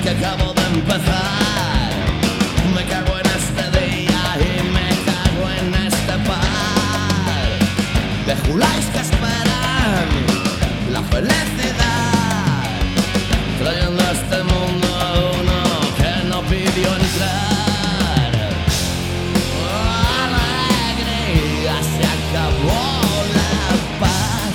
que acabo de empezar. Me cago en este día y me cago en este par de juláis que esperan la felicidad, trayendo a este mundo a uno que no pidió entrar. Alegría, se acabó la paz.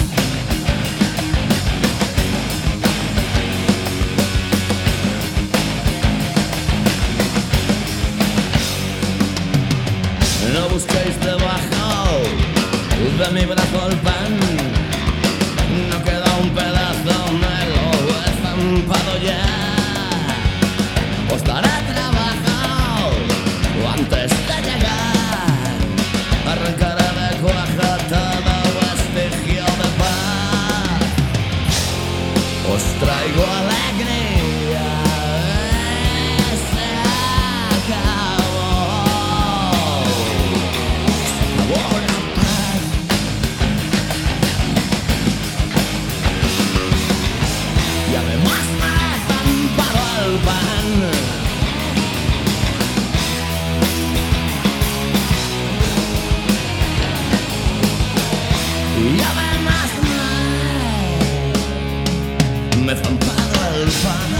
No busquéis debajo de mi brazo el pan, no queda un pedazo, me lo he estampado ya. Os daré trabajo antes de llegar, arrancaré de cuajo todo vestigio de paz. Os traigo alegría, se acabó. Y además me he estampado el pan. Y además me he estampado el pan.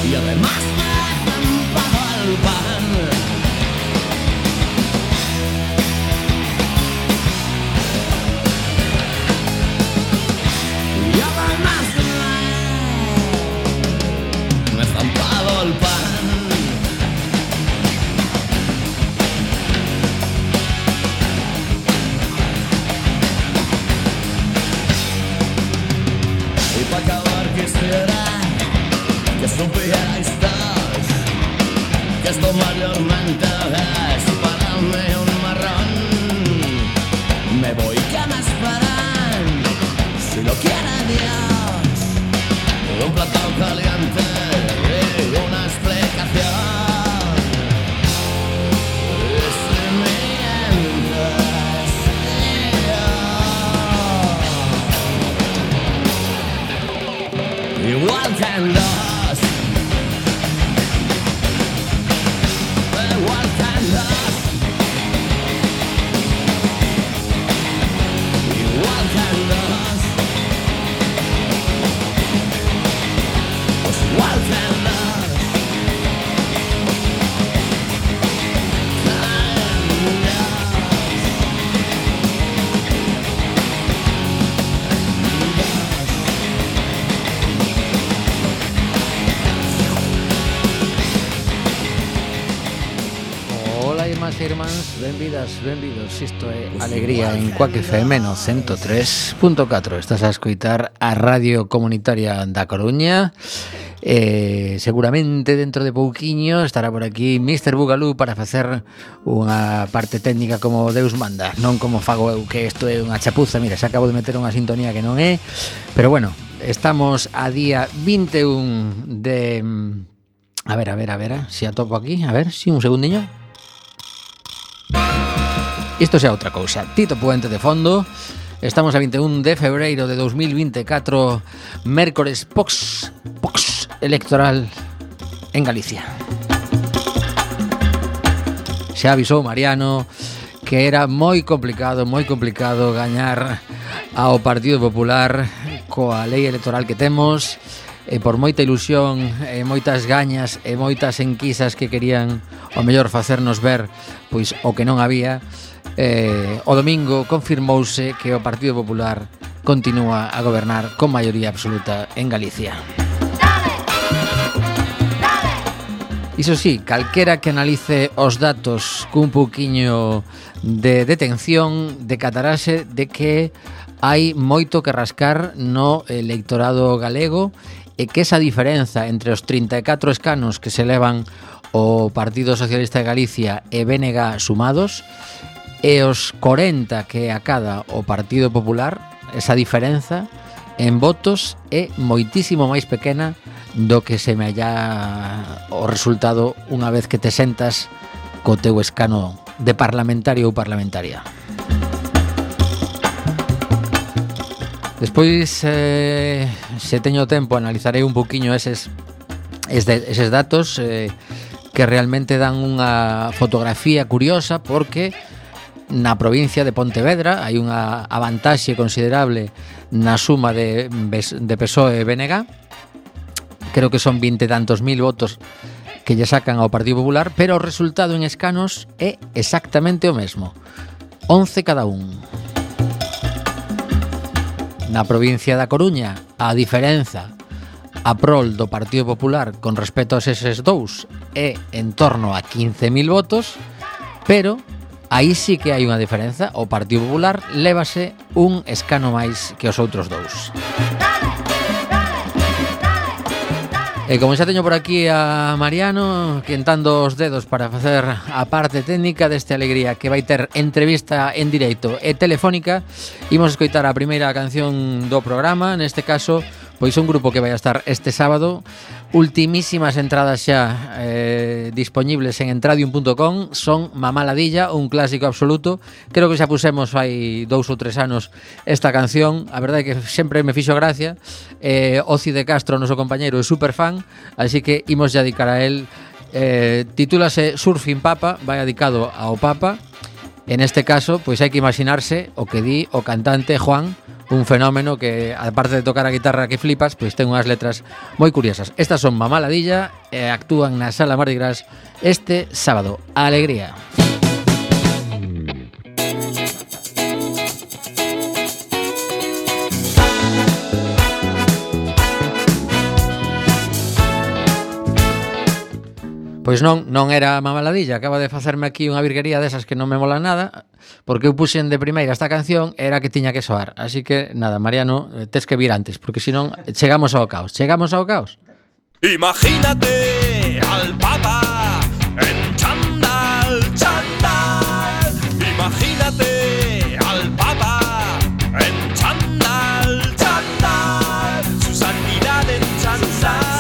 Y además me he estampado el pan. Y además me he estampado el pan. Y para acabar quisiera que supierais todos que esto mayormente es para mí un marrón. Me voy, que me esperan, si lo quiere Dios, un plato caliente y una explicación. Y si mientes, igual que en los igual que en los igual que en los pues igual que en los irmáns, benvidos. Isto é Alegría en Cuac FM no 103.4. Estás a escoitar a Radio Comunitaria da Coruña. Seguramente dentro de pouquiño estará por aquí Mr. Bugalú para facer unha parte técnica como Deus manda, non como fago eu, que isto é unha chapuza. Mira, se acabo de meter unha sintonía que non é, pero bueno, estamos a día 21 de... A ver, si atopo aquí, a ver, si un segundiño. Isto xa outra cousa. Tito Puente de fondo. Estamos a 21 de febreiro de 2024, mércores pox electoral en Galicia. Xa avisou Mariano que era moi complicado gañar ao Partido Popular coa lei electoral que temos, e por moita ilusión e moitas gañas e moitas enquisas que querían ao mellor facernos ver pois o que non había. O domingo confirmouse que o Partido Popular continúa a gobernar con maioría absoluta en Galicia. Iso sí, calquera que analice os datos cun pouquiño de detención decatarase de que hai moito que rascar no electorado galego, e que esa diferenza entre os 34 escanos que se levan o Partido Socialista de Galicia e BNG sumados, e os 40 que acada o Partido Popular, esa diferenza en votos é moitísimo máis pequena do que se me halla o resultado unha vez que te sentas co teu escano de parlamentario ou parlamentaria. Despois, se teño tempo, analizarei un poquinho eses datos que realmente dan unha fotografía curiosa, porque na provincia de Pontevedra hai unha avantaxe considerable na suma de PSOE e BNG. Creo que son 20 e tantos mil votos que lle sacan ao Partido Popular, pero o resultado en escanos é exactamente o mesmo, 11 cada un. Na provincia da Coruña, a diferenza a prol do Partido Popular con respecto aos eses dous é en torno a 15.000 votos, pero aí sí que hai unha diferenza. O Partido Popular lévase un escano máis que os outros dous. E como xa teño por aquí a Mariano quentando os dedos para facer a parte técnica deste Alegría, que vai ter entrevista en directo e telefónica, imos escoitar a primeira canción do programa. Neste caso, pois un grupo que vai a estar este sábado. Ultimísimas entradas xa disponibles en entradium.com. Son Mamá Ladilla, un clásico absoluto. Creo que xa pusemos hai 2 ou 3 anos esta canción. A verdade é que sempre me fixo gracia. Oci de Castro, noso compañeiro, é super fan, así que imos dedicar a él. Titúlase Surfing Papa, vai dedicado ao Papa. En este caso, pois hai que imaginarse o que di o cantante Juan, un fenómeno que, aparte de tocar a guitarra que flipas, pois ten unhas letras moi curiosas. Estas son Mamá Ladilla e actúan na Sala Mardi Gras este sábado. Alegría. Pois non era Mamá Ladilla. Acaba de facerme aquí unha virguería desas que non me molan nada, porque eu puxen de primeira esta canción, era que tiña que soar. Así que, nada, Mariano, tes que vir antes, porque senón chegamos ao caos. Chegamos ao caos. Imagínate al Papa en chándal, chándal. Imagínate al Papa en chándal, chándal. Su santidad en chándal.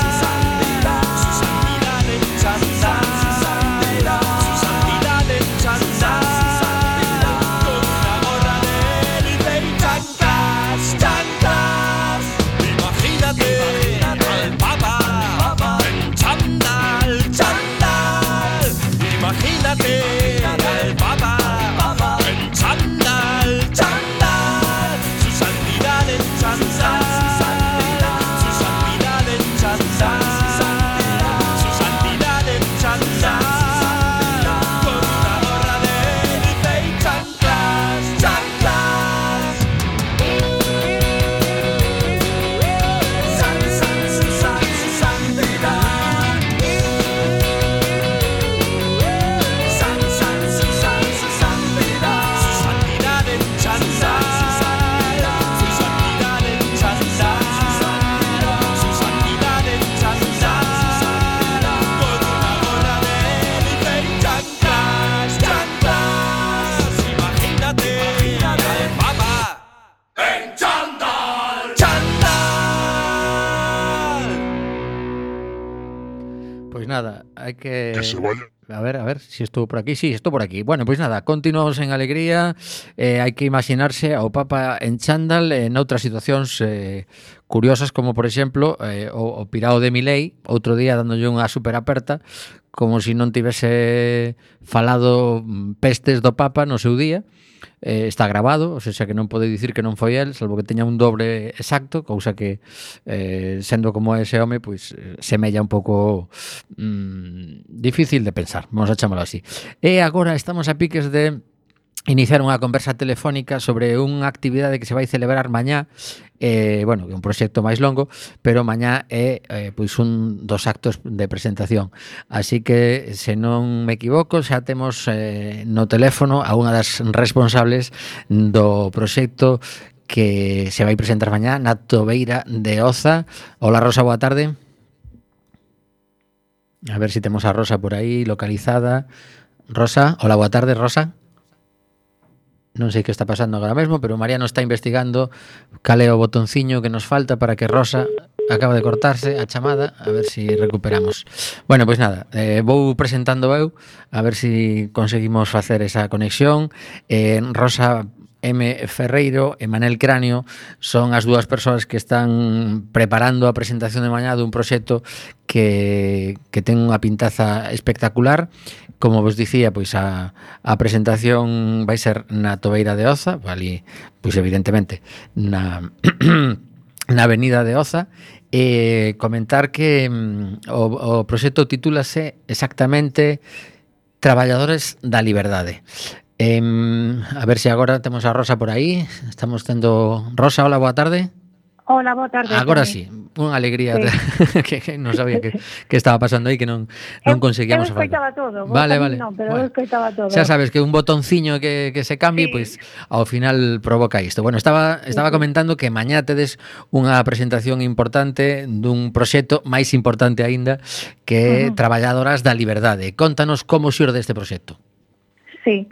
Nada, hai que se vaya. A ver si estou por aquí. Sí, estou por aquí. Bueno, pois nada, continuamos en Alegría. Hai que imaginarse ao Papa en chándal en outras situacións curiosas, como por exemplo o pirao de Milei, outro día dándolle unha super aperta, como se non tivese falado pestes do Papa no seu día. Está grabado, ou seja que non pode dicir que non foi el, salvo que teña un dobre exacto, cousa que sendo como ese home, pois semella un pouco difícil de pensar, vamos a chamarlo así. E agora estamos a piques de iniciar unha conversa telefónica sobre unha actividade que se vai celebrar mañá. Bueno, que é un proxecto máis longo, pero mañá é pois un dos actos de presentación. Así que, se non me equivoco, xa temos no teléfono a unha das responsables do proxecto que se vai presentar mañá na Tobeira de Oza. Hola, Rosa, boa tarde. A ver si temos a Rosa por aí localizada. Rosa, hola, boa tarde, Rosa. Non sei que está pasando agora mesmo, pero Mariano está investigando cal é o botonciño que nos falta para que Rosa acaba de cortarse a chamada, a ver si recuperamos. Bueno, pois nada, vou presentando eu, a ver si conseguimos facer esa conexión. Rosa M. Ferreiro e Manel Cráneo son as dúas persoas que están preparando a presentación de mañá dun proxecto que ten unha pintaza espectacular. Como vos dicía, pois a presentación vai ser na Tobeira de Oza, ali, pois evidentemente na na Avenida de Oza, e comentar que o proxecto titúlase exactamente Traballadores da Liberdade. A ver se agora temos a Rosa por aí. Estamos tendo... Rosa, hola, boa tarde. Hola, boa tarde. Agora sí, unha alegría que non sabía que estaba pasando aí, que non conseguíamos falar. Eu escoitaba todo, vale. Non, pero eu escoitaba todo. Xa sabes que un botonciño que se cambie, pois ao final provoca isto. Bueno, estaba comentando que mañá tedes unha presentación importante dun proxecto máis importante aínda, que é Traballadoras da Liberdade. Contanos como xurde este proxecto. Sí,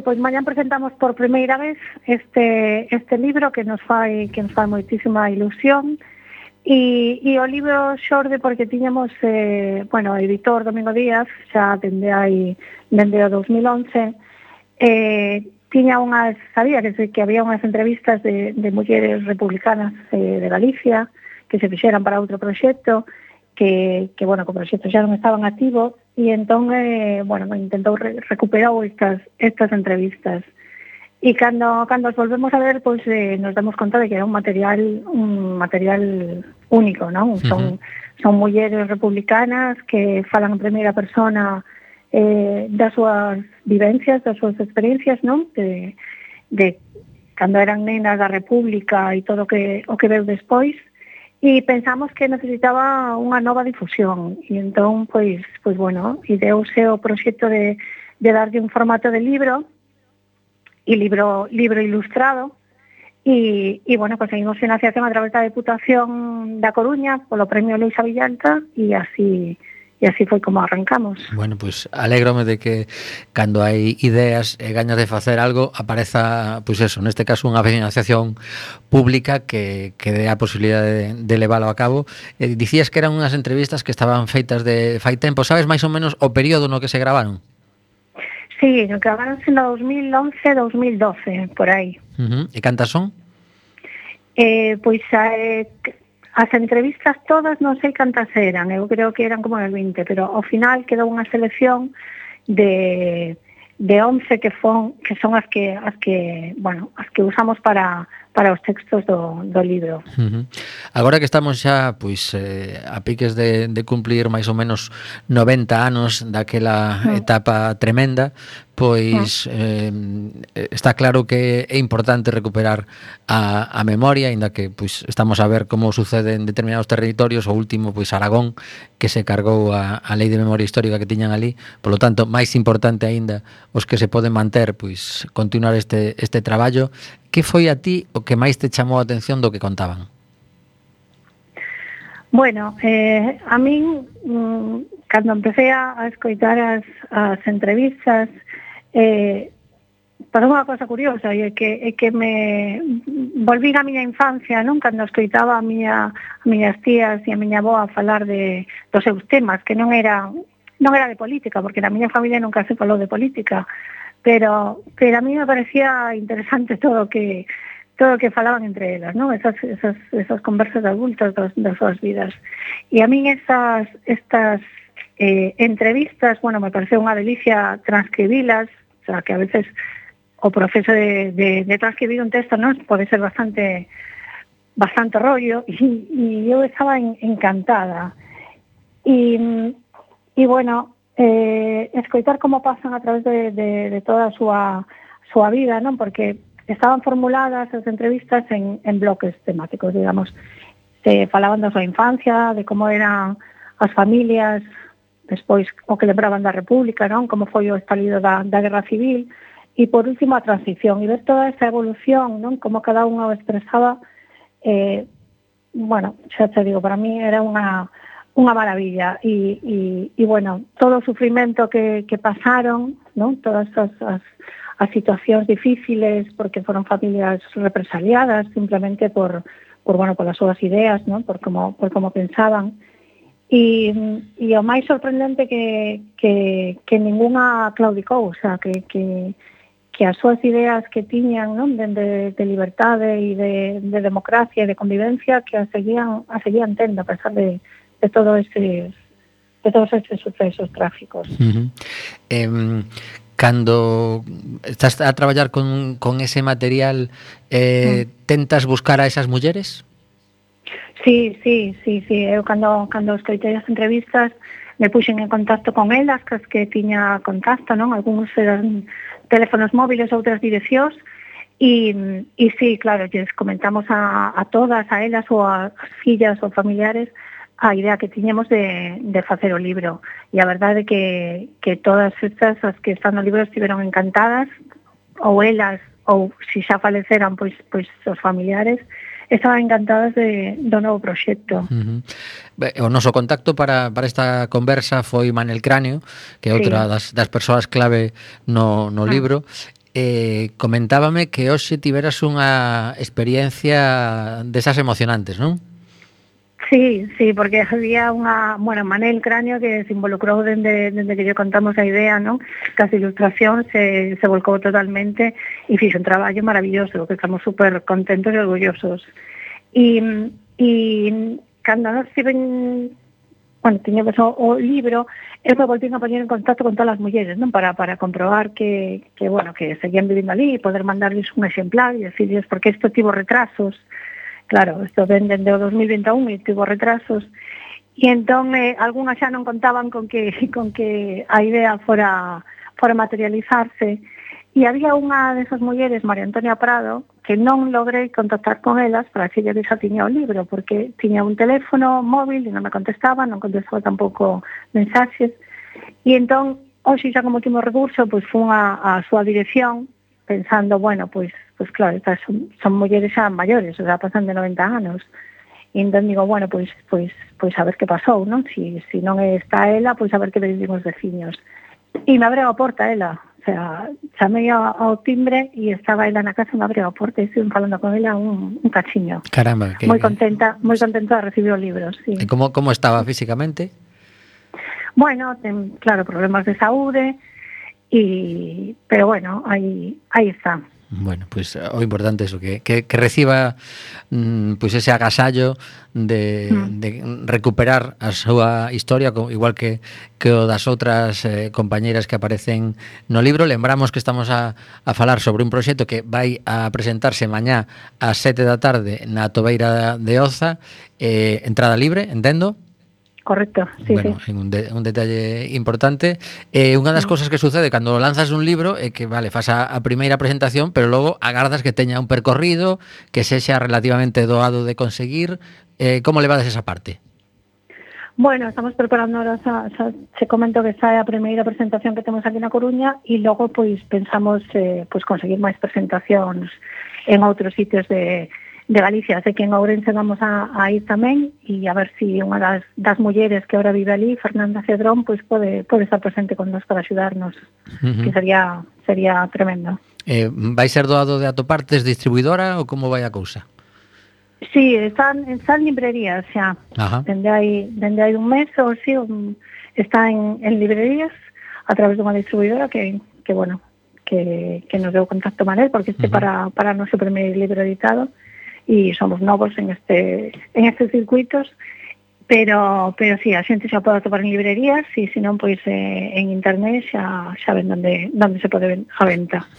pois mañá presentamos por primeira vez este libro que nos fai moitísima ilusión e o libro xorde porque tiñamos o editor Domingo Díaz xa dende o 2011 sabía que había unhas entrevistas de mulleres republicanas de Galicia que se fixeran para outro proxecto que o proxecto xa non estaban activo e entón, intentou recuperar estas entrevistas. E cando as volvemos a ver, pois nos damos conta de que era un material único, non? Son mulleres republicanas que falan en primeira persona das súas vivencias, das súas experiencias, non? De cando eran nenas da República e todo o que veu despois. E pensamos que necesitaba unha nova difusión e entón, ideouse o proxecto de darlle un formato de libro e libro ilustrado e conseguimos financiación a través da Deputación da Coruña polo Premio Luisa Villalta e así foi como arrancamos. Bueno, pois alégrome de que cando hai ideas e gañas de facer algo apareza, pois eso, neste caso unha financiación pública que dé a posibilidade de leválo a cabo. Dicías que eran unhas entrevistas que estaban feitas de fai tempo, sabes máis ou menos o período no que se gravaron? Sí, gravaronse no 2011-2012, por aí. E cantas son? As entrevistas todas non sei cantas eran, eu creo que eran como as 20, pero ao final quedou unha selección de 11 que son as que usamos para os textos do libro. Agora que estamos xa a piques de cumplir máis ou menos 90 anos daquela etapa tremenda, pois está claro que é importante recuperar a memoria, aínda que pois estamos a ver como sucede en determinados territorios, o último pois Aragón, que se cargou a lei de memoria histórica que tiñan ali. Por lo tanto, máis importante aínda os que se poden manter, pois continuar este traballo. Que foi a ti o que máis te chamou a atención do que contaban? Bueno, a min cando empecé a escoitar as entrevistas pasou unha cosa curiosa e que me volví a miña infancia, non? Cando escoitaba a miñas tías e a miña avó a falar dos seus temas, que non era de política, porque na miña familia nunca se falou de política, pero a mí me parecía interesante todo o que falaban entre elas, non? Esas conversas de adultos das súas vidas. E a min estas entrevistas, me pareceu unha delicia transcribilas, o sea, que a veces o proceso de transcribir un texto, non, pode ser bastante rollo, e eu estaba encantada. E escoitar como pasan a través de toda a súa vida, non? Porque estaban formuladas as entrevistas en bloques temáticos, digamos. Se falaban da súa infancia, de como eran as familias, despois o que lembraban da República, non? Como foi o estalido da Guerra Civil, e por último a transición, e ver toda esa evolución, non? Como cada unha o expresaba, xa te digo, para mí era unha unha maravilla e bueno, todo o sufrimento que pasaron, ¿no? Todas as situacións difíciles porque foron familias represaliadas simplemente por polas súas ideas, ¿no? Por como pensaban. E o máis sorprendente que ningunha claudicou, o sea, que as súas ideas que tiñan, ¿no? de liberdade e de democracia e de convivencia que a seguían tendo a pesar de todos estes sucesos trágicos. Cando estás a traballar con ese material, tentas buscar a esas mulleres? Sí. Eu cando escoitei as entrevistas me puxen en contacto con elas, que tiña contacto, non? Algúns eran teléfonos móviles, outras direccións, e sí, claro, lles comentamos a todas, a elas ou as fillas ou familiares, a idea que tiñemos de facer o libro. E a verdade é que todas estas, as que están no libro, estiveron encantadas, ou elas, ou se xa faleceran, pois os familiares, estaban encantadas do novo proxecto. O noso contacto para esta conversa foi Manel Cráneo, que é outra das persoas clave no libro. Comentábame que hoxe tiveras unha experiencia desas emocionantes, non? Sí, porque había Manel Cráneo que se involucrou dende que lle contamos a idea, non? Que as ilustracións se volcou totalmente e fixo un traballo maravilloso, que estamos super contentos e orgullosos. E cando nos tiñamos o libro, eu me volvín a poñer en contacto con todas as mulleres, non? Para comprobar que seguían vivindo ali e poder mandarles un exemplar e decirles, porque isto tivo retrasos. Claro, isto ven dende o 2021 e tivo retrasos. E entón, algunhas xa non contaban con que a idea fora materializarse. E había unha desas mulleres, María Antonia Prado, que non logrei contactar con elas para decirle que xa tiña o libro, porque tiña un teléfono móvil e non me contestaba, non contestaba tampouco mensaxes. E entón, hoxe xa como último recurso, pois fun a súa dirección, pensando, pois claro, estas son mulleres xa maiores, o sea, pasan de 90 anos. E entón digo, pois a ver que pasou, non? Si non está ela, pois a ver que vivimos veciños. E me abreu a porta ela, o sea, chamei ao timbre e estaba ela na casa, me abreu a porta e estive falando con ela un cachiño. Caramba, que... Moi contenta de recibir o libro, sí. E como estaba físicamente? Bueno, ten, claro, problemas de saúde, pero bueno, aí está. Bueno, pues o importante é iso, que reciba pues ese agasallo de recuperar a súa historia, igual que o das outras compañeiras que aparecen no libro. Lembramos que estamos a falar sobre un proxecto que vai a presentarse mañá ás 7 da tarde na Tobeira de Oza, entrada libre, entendo? Correcto, sí, bueno, sí. Un detalle importante. Unha das cousas que sucede cando lanzas un libro é que, fas a primeira presentación, pero logo agardas que teña un percorrido, que sexa relativamente doado de conseguir. Como levades esa parte? Bueno, estamos preparando ahora, se comento que sae a primeira presentación que temos aquí na Coruña e logo pois pensamos conseguir máis presentacións en outros sitios de Galicia. Sei que en Ourense vamos a ir tamén e a ver si unha das mulleres que ahora vive ali, Fernanda Cedrón, pois pode estar presente con nos para axudarnos, que sería tremendo. Vai ser doado de Atopartes distribuidora ou como vai a cousa? Sí, están librerías xa. Dende hai un mes ou si, está en librerías a través dunha distribuidora que nos deu contacto Manel, porque para o noso primeiro libro editado, e somos novos en estes circuitos, pero sí, a xente xa pode atopar en librerías e senón pois en internet xa ven onde se pode ver a venta.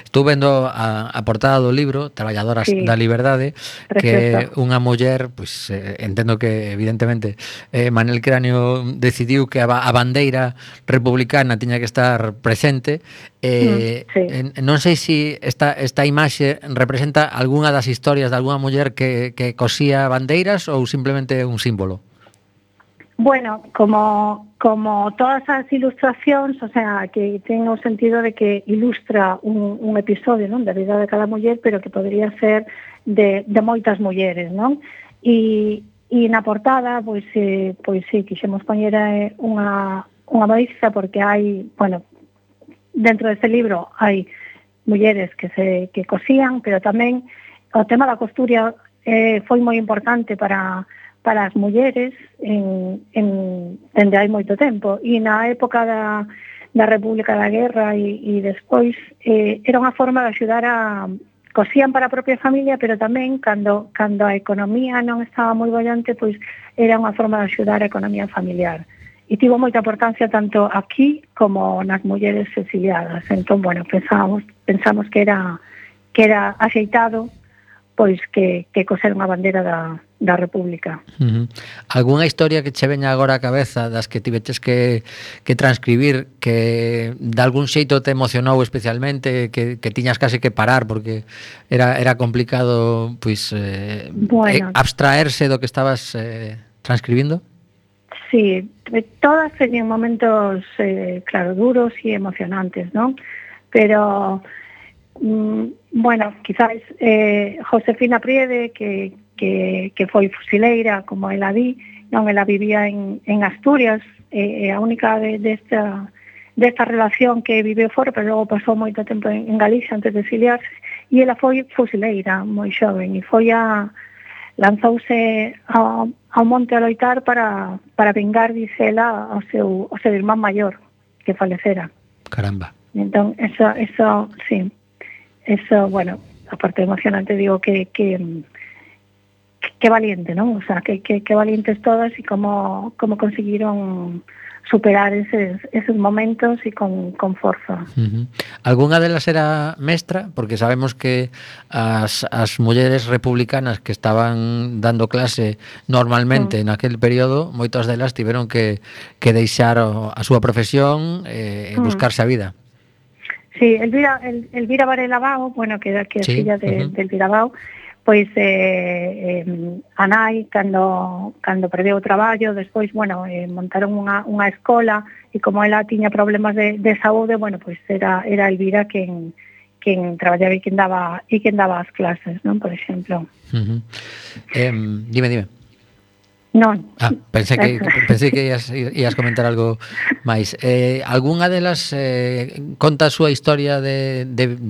Estou vendo a portada do libro Traballadoras da Liberdade, que é unha muller, pois entendo que evidentemente Manel Cráneo decidiu que a bandeira republicana tiña que estar presente. Non sei se esta imaxe representa algunha das historias de algunha muller que cosía bandeiras ou simplemente un símbolo. Bueno, como todas as ilustracións, o sea, que ten o sentido de que ilustra un episodio, non, da vida de cada muller, pero que podría ser de moitas mulleres, non? E E na portada, pois sí, quixemos poñer unha modiza porque hai, bueno, dentro deste libro hai mulleres que cosían, pero tamén o tema da costura foi moi importante para as mulleres dende hai moito tempo. E na época da República da Guerra e despois era unha forma de axudar cosían para a propia familia, pero tamén cando a economía non estaba moi bollante, pois era unha forma de axudar a economía familiar. E tivo moita importancia tanto aquí como nas mulleres exiliadas. Entón, bueno, pensamos que era axeitado pois que coser unha bandera da República. Algúnha historia que che veña agora á cabeza das que tiveches que transcribir que de algún xeito te emocionou especialmente, que tiñas case que parar porque era complicado pois abstraerse do que estabas transcribindo? Sí, todas teñen momentos claro, duros e emocionantes, non? Pero bueno, quizás Josefina Priede que foi fusileira, como ela di, non, ela vivía en Asturias, a única desta relación que viveu fora, pero logo pasou moito tempo en Galicia antes de exiliarse, e ela foi fusileira moi xoven, e lanzouse ao monte a loitar para vengar, dice ela, ao seu irmán maior que falecera. Caramba. Entón, eso sí. Eso, bueno, aparte emocionante, digo que valiente, ¿no? O sea, que valientes todas y cómo consiguieron superar esos momentos y con forza. Algunha delas era mestra? Porque sabemos que as mulleres republicanas que estaban dando clase normalmente naquele período, moitas delas tiveron que deixar a súa profesión e buscarse a vida. Sí, Elvira Varela Bao, bueno, que é filla de Elvira Bao, pois a nai, cando perdeu o traballo, despois, bueno, montaron unha escola, e como ela tiña problemas de saúde, bueno, pois era Elvira quen traballaba e quen daba as clases, non, por exemplo. Dime. Non. Pensei que ias comentar algo máis. Algúnha delas conta a súa historia de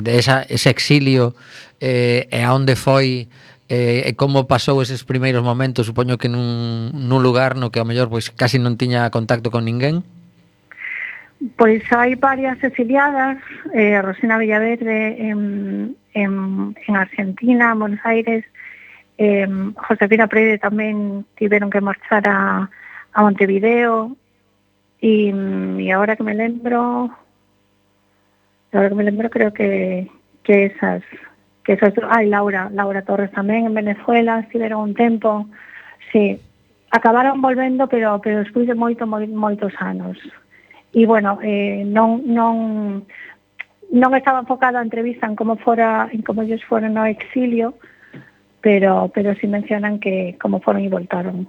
ese exilio e a onde foi e como pasou eses primeiros momentos, supoño que nun lugar no que ao mellor pois casi non tiña contacto con ninguén? Pois hai varias exiliadas, Rosina Villaverde en Argentina, en Buenos Aires, Josefina Priede tamén tiveron que marchar a Montevideo e agora que me lembro creo que esas Laura Torres tamén en Venezuela estiveron un tempo, sí, acabaron volvendo pero despois de moitos anos e bueno, non estaba enfocada a entrevista en como ellos foron no exilio, pero sí mencionan que como foron e voltaron.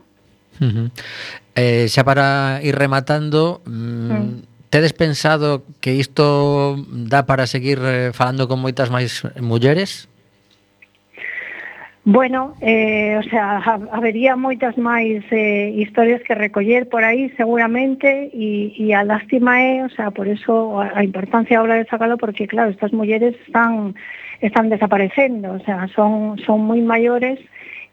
Xa para ir rematando, tedes pensado que isto dá para seguir falando con moitas máis mulleres? Bueno, o sea, habería moitas máis historias que recoller por aí seguramente e a lástima o sea, por eso a importancia ahora de sacalo, porque claro, estas mulleres están desaparecendo, o sea, son moi maiores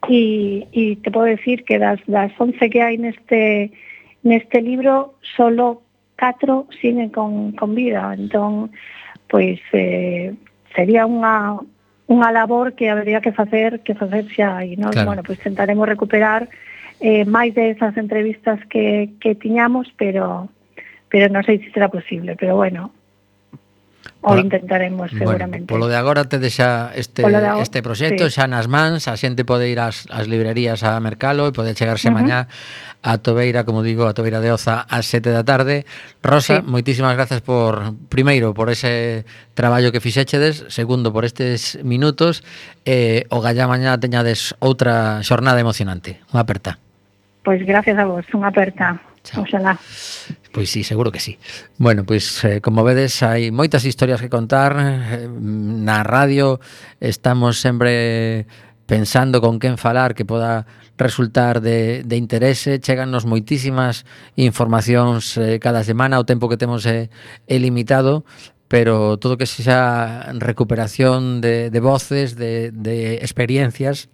e te podo decir que das 11 que hai neste libro solo 4 siguen con vida. Entón, pois sería unha labor que habería que facer xa aí, non? Claro. Bueno, pois tentaremos recuperar máis de esas entrevistas que tiñamos, pero non sei se será posible, pero bueno, o intentaremos seguramente. Polo de agora te deixa este proxecto xa nas mans, a xente pode ir ás librerías a mercalo e pode chegarse mañá a Tobeira, como digo, a Tobeira de Oza ás 7 da tarde. Rosa, moitísimas gracias primeiro por ese traballo que fixéchedes, segundo por estes minutos, o gallá mañá teñades outra xornada emocionante. Unha aperta. Pois gracias a vos, unha aperta. Chao. Oxalá. Pois sí, seguro que sí. Bueno, pois como vedes hai moitas historias que contar. Na radio estamos sempre pensando con quen falar que poda resultar de interese. Chegannos moitísimas informacións cada semana, o tempo que temos é limitado, pero todo que sexa recuperación de voces, de experiencias,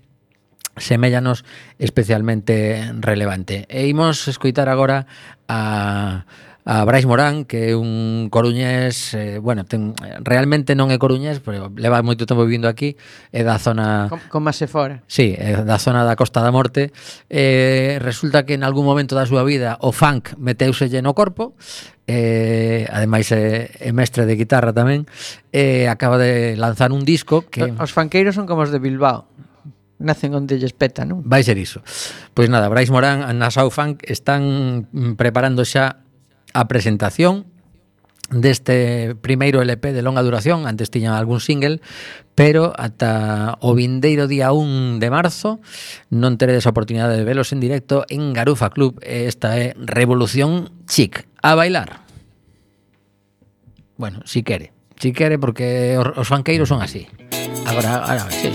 seméllanos especialmente relevante. E imos escoitar agora a Brais Morán, que é un coruñés, realmente non é coruñés, pero leva moito tempo vivindo aquí, é da zona... Como se fora. Sí, é da zona da Costa da Morte. Resulta que en algún momento da súa vida o funk meteuselle no corpo, ademais é mestre de guitarra tamén, acaba de lanzar un disco que... Os funkeiros son como os de Bilbao, nacen onde lles peta, non? Vai ser iso. Pois nada, Brais Morán na Sau Funk están preparando xa a presentación deste primeiro LP de longa duración. Antes tiñan algún single, pero ata o vindeiro día 1 de marzo non teredes a oportunidade de velos en directo en Garufa Club. Esta é Revolución Chic. A bailar. Bueno, si quere, porque os fanqueiros son así. Agora, sí.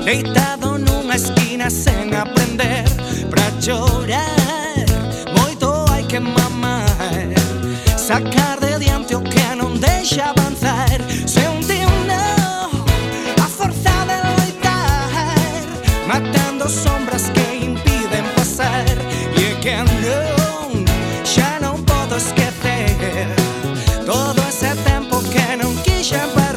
Deitado nunha esquina sen aprender pra chorar, moito hai que mamar, sacar de diante o que non deixa avanzar. Sentindo a forza de loitar, matando sombras que impiden pasar. E é que non, xa non podo esquecer todo ese tempo que non quixen perder.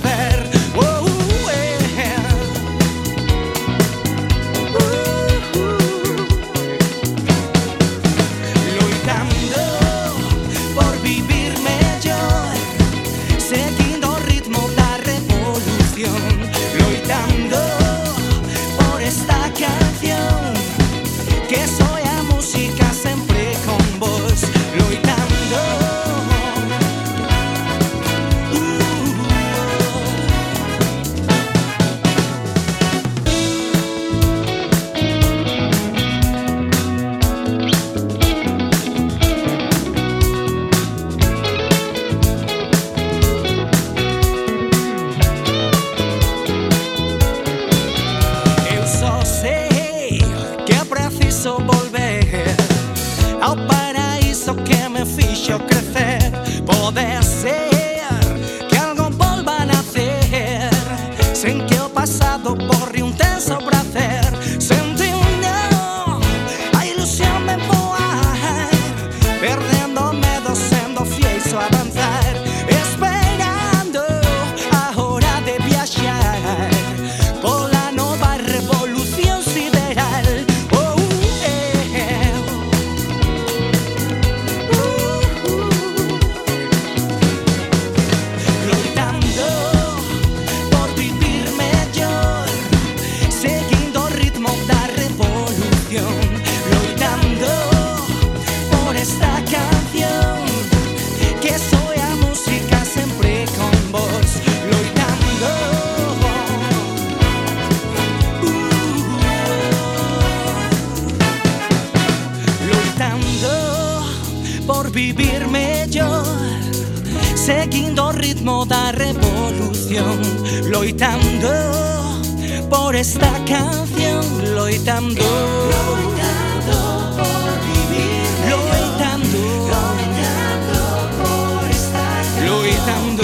seguindo o ritmo da revolución, loitando por esta canción, loitando, loitando por vivir, loitando, loitando por estar, loitando.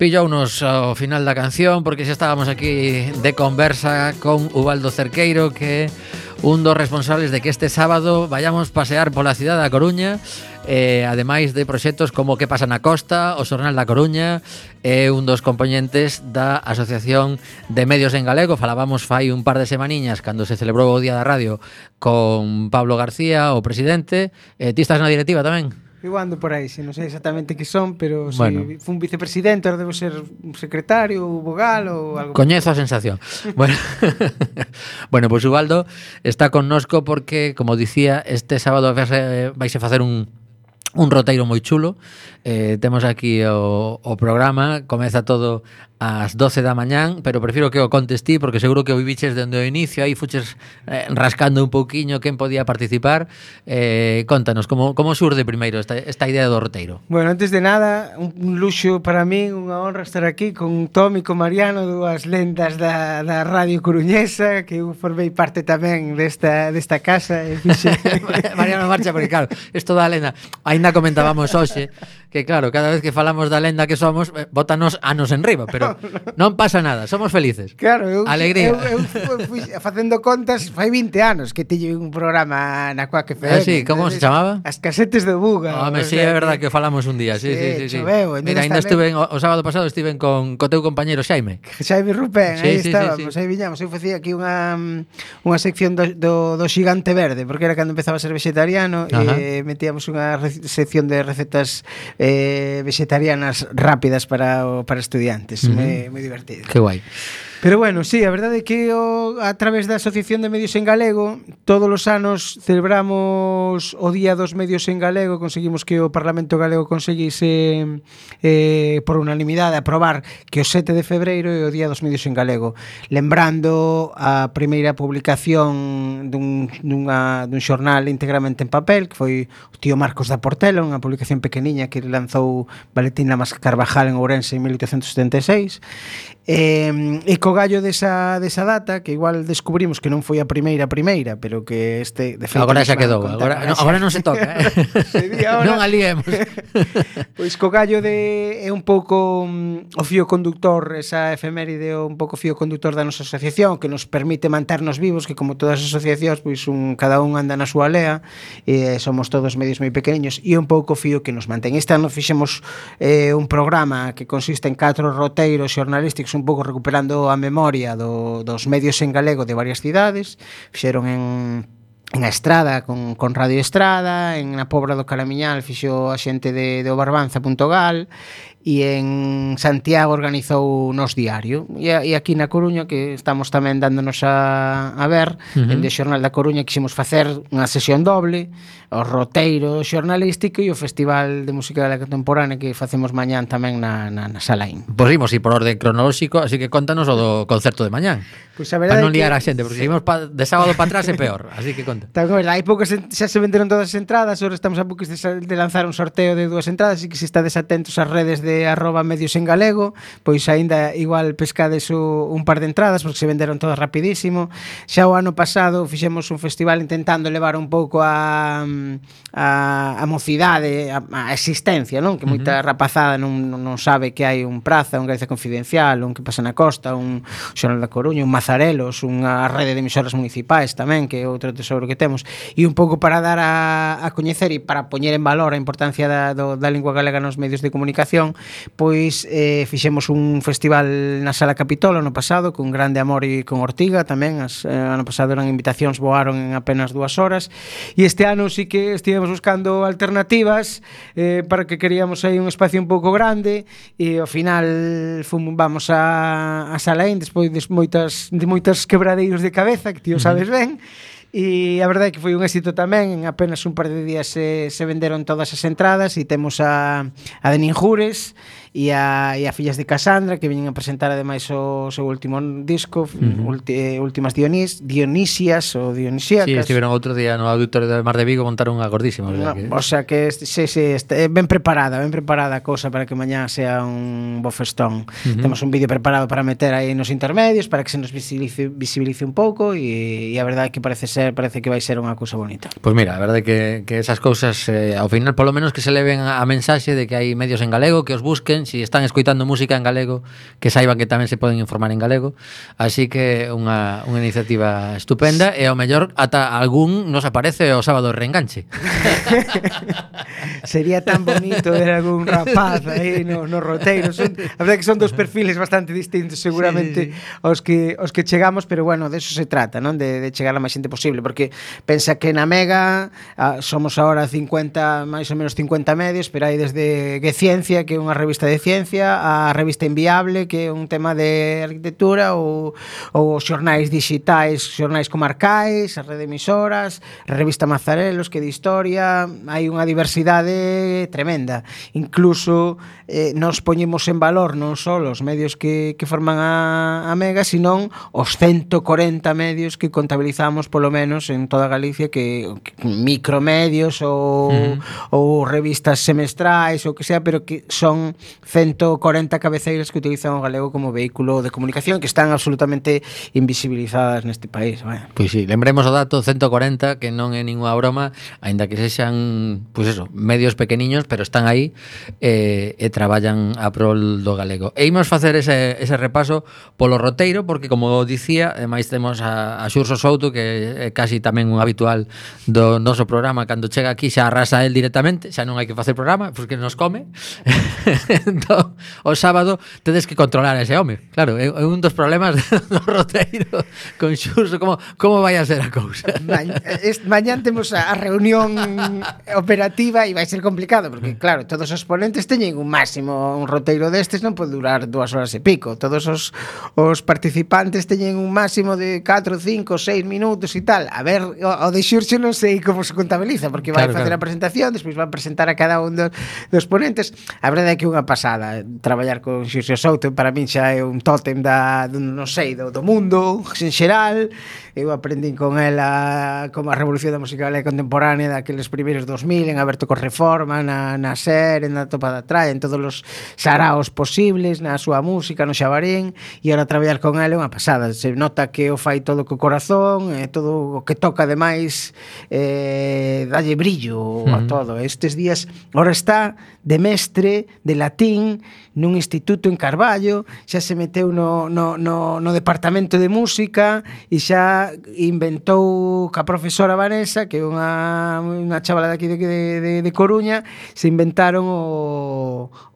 Pillounos ao final da canción porque xa estábamos aquí de conversa con Ubaldo Cerqueiro, que é un dos responsables de que este sábado vayamos pasear pola cidade da Coruña, ademais de proxectos como Que pasa na Costa, o Xornal da Coruña, un dos componentes da Asociación de Medios en Galego. Falábamos fai un par de semaniñas cando se celebrou o Día da Radio con Pablo García, o presidente. Ti estás na directiva tamén? Eu ando por aí, non sei exactamente que son, pero Bueno. si fun vicepresidente, ahora debo ser un secretario, ou vogal ou algo. Coñezo a sensación. Bueno, bueno, pois Ubaldo está connosco porque, como dicía, este sábado vais a facer un roteiro moi chulo. Temos aquí o programa, comeza todo ás 12 da mañán, pero prefiro que o contes ti porque seguro que o viviches dende o inicio, aí fuches rascando un pouquiño quen podía participar. Contanos, como surde primeiro esta idea do roteiro? Bueno, antes de nada, un luxo para min, unha honra estar aquí con Tom e con Mariano, dúas lendas da radio coruñesa, que eu formei parte tamén desta casa. Mariano marcha, porque claro, isto da lenda, ainda comentábamos hoxe, que claro, cada vez que falamos da lenda que somos, bótanos anos enriba, pero non pasa nada, somos felices. Claro, alegría. Eu fui facendo contas, fai 20 anos que teño un programa na Quack FM. Sí, como se chamaba? As casetes do Buga. Home, sí, é verdad que falamos un día, sí. Choveu, mira, ainda estuve o sábado pasado estiven con teu compañeiro Xaime. Xaime Rupén, aí estábamos, sí. aí viñamos. Eu facía aquí unha sección do Xigante Verde, porque era cando empezaba a ser vegetariano. E metíamos unha sección de recetas vegetarianas rápidas para estudiantes. Moi divertido. Que guai. Pero bueno, sí, a verdade é que a través da Asociación de Medios en Galego todos os anos celebramos o Día dos Medios en Galego. Conseguimos que o Parlamento Galego conseguise por unanimidade aprobar que o 7 de febreiro é o Día dos Medios en Galego, lembrando a primeira publicación dun xornal íntegramente en papel, que foi o tío Marcos da Portela, unha publicación pequeniña que lanzou Valentín Lamas Carvajal en Ourense en 1876. E co gallo desa data, que igual descubrimos que non foi a primeira, pero que de feito agora xa quedou, agora non se toca, non aliemos. Pois co gallo é un pouco o fío conductor, esa efeméride, un pouco fío conductor da nosa asociación, que nos permite manternos vivos, que como todas as asociacións, pois cada un anda na súa lea, e somos todos medios moi pequeniños, e un pouco fío que nos mantén. Este ano fixemos un programa que consiste en 4 roteiros xornalísticos, un pouco recuperando a memoria dos medios en galego de varias cidades. Fixeron en a Estrada con Radio Estrada, en a Pobra do Calamiñal fixo a xente de Obarbanza.gal, e en Santiago organizou Nos Diario, e aquí na Coruña, que estamos tamén dándonos a ver, dende o Xornal da Coruña quixemos facer unha sesión doble, o roteiro xornalístico e o Festival de Música Galega Contemporánea que facemos mañán tamén na Salaín. Pois imos ir por orde cronolóxico, así que contanos o do concerto de mañán. Pois a verdade para non liar a xente, porque seguimos de sábado para atrás é peor, así que conta. Hai poucas, xa se venderon todas as entradas, ahora estamos a poucos de lanzar un sorteo de 2 entradas, así que se estades atentos ás redes de @medios en galego, pois aínda igual pescades un par de entradas, porque se venderon todas rapidísimo. Xa o ano pasado fixemos un festival intentando levar un pouco a mocidade, a existencia, non? Que moita rapazada non sabe que hai un Praza, un Galicia Confidencial, un Que pasa na Costa, un Xornal da Coruña, un Mazarelos, unha rede de emisoras municipais tamén, que é outro tesouro que temos, e un pouco para dar a coñecer e para poñer en valor a importancia da lingua galega nos medios de comunicación. Pois fixemos un festival na Sala Capitolo no pasado, con Grande Amor e con Ortiga tamén. Ano pasado eran invitacións, voaron en apenas 2 horas, e este ano sí que estivemos buscando alternativas, para que queríamos aí un espacio un pouco grande, e ao final vamos a Salaín despois de moitas quebradeiros de cabeza, que ti o sabes ben. E a verdade é que foi un éxito tamén. En apenas un par de días se venderon todas as entradas, e temos a de Ninjures e a Fillas de Casandra, que veñen a presentar ademais o seu último disco, Últimas Dionisias ou Dionisíacas. Sí, estiveron outro día no Auditorio de Mar de Vigo, montaron unha gordísima. O sea que ben preparada a cousa para que mañá sea un bo festón. Temos un vídeo preparado para meter aí nos intermedios, para que se nos visibilice un pouco, e a verdade é que parece que vai ser unha cousa bonita. Pois mira, a verdade é que esas cousas ao final, polo menos, que se leven a mensaxe de que hai medios en galego, que os busquen, escoiten, si están escoitando música en galego, que saiban que tamén se poden informar en galego. Así que unha iniciativa estupenda e ao mellor ata algún nos aparece o sábado reenganche. Sería tan bonito ver algún rapaz aí no roteiro. A verdade que son dos perfiles bastante distintos seguramente aos que chegamos, pero bueno, de eso se trata, non? De chegar a máis xente posible, porque pensa que na Mega somos ahora 50, máis ou menos 50 medios, pero hai desde Ciencia, que é unha revista de ciencia, a revista Inviable, que é un tema de arquitectura, ou xornais digitais, xornais comarcais, a rede de emisoras, a revista Mazarelos, que de historia, hai unha diversidade tremenda. Incluso nos poñemos en valor non só os medios que forman a Mega, senón os 140 medios que contabilizamos polo menos en toda Galicia, que micromedios ou revistas semestrais ou que sea, pero que son 140 cabeceiras que utilizan o galego como vehículo de comunicación, que están absolutamente invisibilizadas neste país. Pois sí, lembremos o dato 140, que non é ninguna broma, aínda que sexan, pois eso, medios pequeniños, pero están aí e traballan a prol do galego. E imos facer ese repaso polo roteiro, porque como dicía, ademais temos a Xurxo Souto, que é casi tamén un habitual do noso programa. Cando chega aquí xa arrasa el directamente, xa non hai que facer programa, porque nos come. Entón, o sábado tedes que controlar a ese home. Claro, é un dos problemas do roteiro con Xurxo, como vai a ser a cousa. Mañán temos a reunión operativa e vai ser complicado, porque claro, todos os ponentes teñen un máximo, un roteiro destes non pode durar 2 horas e pico. Todos os participantes teñen un máximo de 4, 5, 6 minutos e tal. A ver, o de Xurxo non sei como se contabiliza, porque vai facer a presentación, despois vai presentar a cada un dos ponentes. A verdade é que é unha pasada traballar con Xurxo Souto. Para min xa é un tótem non sei, do mundo en xeral. Eu aprendín con ela como a revolución da música galega contemporánea daqueles primeiros 2000, en Aberto con Reforma, na SER, na Topa da Traia, en todos os saraos posibles, na súa música, no Xabarín, e ahora traballar con ela é unha pasada. Se nota que o fai todo co corazón, todo o que toca ademais dalle brillo a todo. Estes días ahora está de mestre de latín nun instituto en Carballo, xa se meteu no departamento de música e xa inventou ca profesora Vanessa, que é unha chavala daqui de Coruña, se inventaron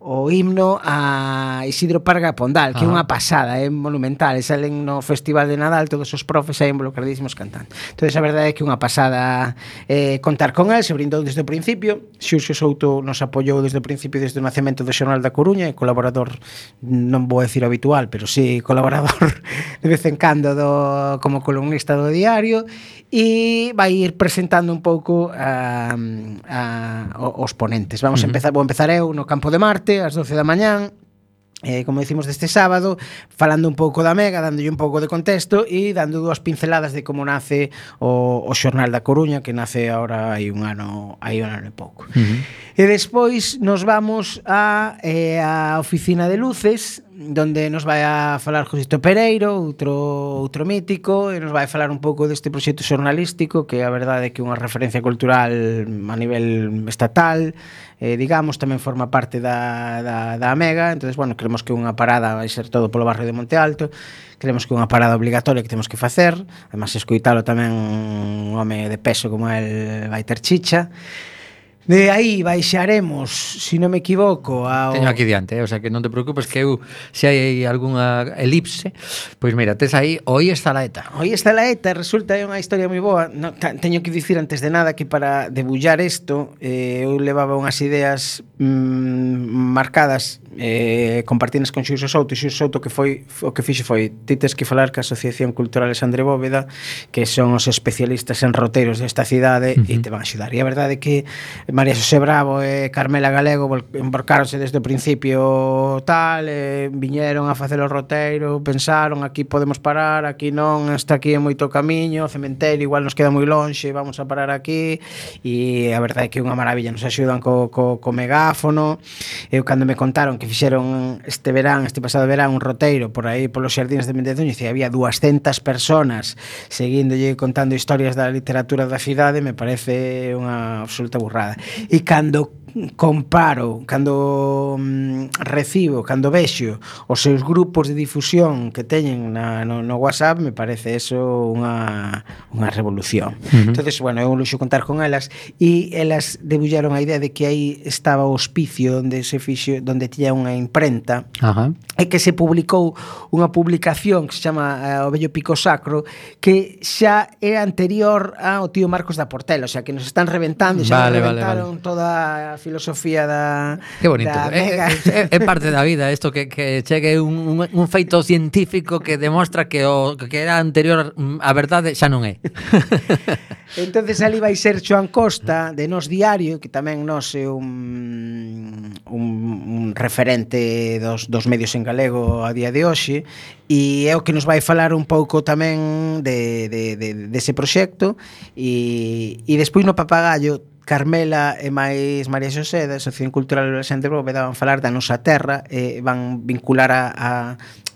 o himno a Isidro Parga Pondal, que é unha pasada, é monumental, e salen no Festival de Nadal todos os profes aí involucradísimos cantando. Entón, a verdade é que é unha pasada contar con el, se brindou desde o principio. Xurxo Souto nos apoiou desde o principio, desde o nacemento do Xornal da Coruña, e colaborador, non vou decir habitual, pero sí colaborador de vez en cando como columnista do diario, e vai ir presentando un pouco os ponentes. Vou empezar eu no Campo de Marte ás 12 da mañán, como decimos deste sábado, falando un pouco da Mega, dándolle un pouco de contexto e dando 2 pinceladas de como nace o Xornal da Coruña, que nace agora hai un ano e pouco. E despois nos vamos a Oficina de Luces, donde nos vai a falar Josito Pereiro, outro mítico, e nos vai a falar un pouco deste proxecto xornalístico, que a verdade é que é unha referencia cultural a nivel estatal, digamos, tamén forma parte da Mega. Entonces, bueno, creemos que unha parada vai ser todo polo barrio de Monte Alto, creemos que é unha parada obligatoria que temos que facer, además escoitalo tamén un home de peso como el vai ter chicha. De aí baixaremos, se non me equivoco, Teño aquí diante, o sea que non te preocupes, que eu, se hai algunha elipse, pois mira, tes aí Hoy está la ETA. Hoy está la ETA, resulta é unha historia moi boa. Teño que dicir antes de nada que para debullar isto, eu levaba unhas ideas marcadas, compartidas con Xurxo Souto, e Xurxo Souto o que fixo foi: ti tes que falar ca Asociación Cultural Alexandre Bóveda, que son os especialistas en roteiros desta cidade, e te van a axudar. E a verdade é que María Xosé Bravo e Carmela Galego embarcaronse desde o principio tal, viñeron a facer o roteiro, pensaron, aquí podemos parar, aquí non, hasta aquí é moito camiño, o cementerio igual nos queda moi lonxe, vamos a parar aquí. E a verdade é que é unha maravilla, nos axudan co megáfono. Eu cando me contaron que fixeron este pasado verán un roteiro por aí polos xardines de Mendezuño, e había 200 personas seguíndolle contando historias da literatura da cidade, me parece unha absoluta burrada. E cando comparo, cando recibo, cando vexo os seus grupos de difusión que teñen no WhatsApp, me parece eso unha revolución. Entonces, bueno, é un luxo contar con elas, e elas debullaron a idea de que aí estaba o hospicio onde se fixo, onde tiña unha imprenta. Ajá. E que se publicou unha publicación que se chama O Vello Pico Sacro, que xa era anterior ao tío Marcos da Portela, o sea, que nos están reventando, xa reventaron toda a filosofía da... Que bonito. É parte da vida isto que chegue un feito científico que demostra que o que era anterior a verdade xa non é. Entonces ali vai ser Xoán Costa de Nós Diario, que tamén nos é un referente dos medios en galego a día de hoxe, e é o que nos vai falar un pouco tamén dese proxecto, e despois no Papagallo Carmela e máis María Xosé da Asociación Cultural Alexandre Bóveda van falar da nosa terra, e van vincular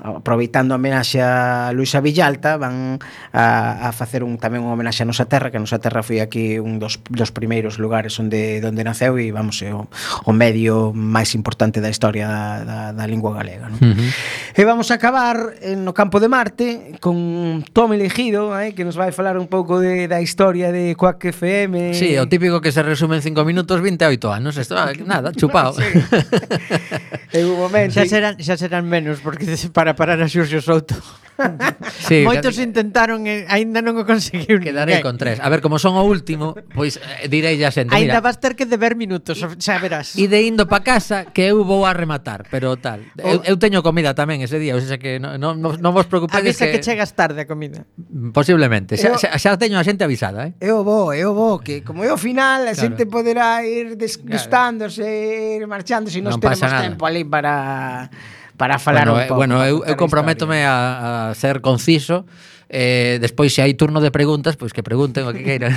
aproveitando a homenaxe a Luisa Villalta, van a facer tamén unha homenaxe a nosa terra, que a nosa terra foi aquí un dos primeiros lugares onde naceu, e vamos, é o medio máis importante da historia da lingua galega, non? E vamos a acabar no campo de Marte con Tom Elegido, que nos vai falar un pouco da historia de Quack FM. Sí, o típico que se resume en 5 minutos, 28 anos. Esto, nada, chupado. Sí. En un momento. Xa serán menos, porque para parar a Xurxo Souto. Sí, moitos intentaron e aínda non o conseguiu. Quedarei con 3. A ver, como son o último, pois direi a xente, aínda mira, vas ter que deber minutos, xa verás. E de indo pa casa que eu vou a rematar, pero tal. Eu teño comida tamén ese día, o sea que non vos preocupedes. Avisa que chegas tarde a comida. Posiblemente. Xa teño a xente avisada, Eu vou, que como é o final, a xente poderá ir desgustándose, ir marchando, se nos temos tempo ali para falar un pouco. Bueno, eu comprométome a ser conciso. Despois, se hai turno de preguntas, pois que pregunten o que queiran.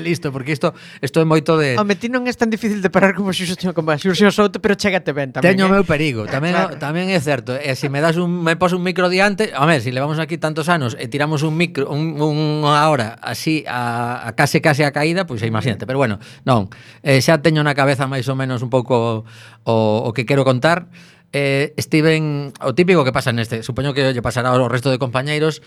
Listo, porque isto é moito de... Home, ti non é tan difícil de parar como Xurxo Souto, pero chégate ben tamén. Teño o meu perigo, tamén é certo. E se me pos un micro diante, home, se levamos aquí tantos anos e tiramos un micro unha hora así a case a caída, pois imagínate. Pero bueno, non, xa teño na cabeza máis ou menos un pouco o que quero contar. Steven, o típico que pasa neste, supoño que lle pasará ao resto de compañeiros.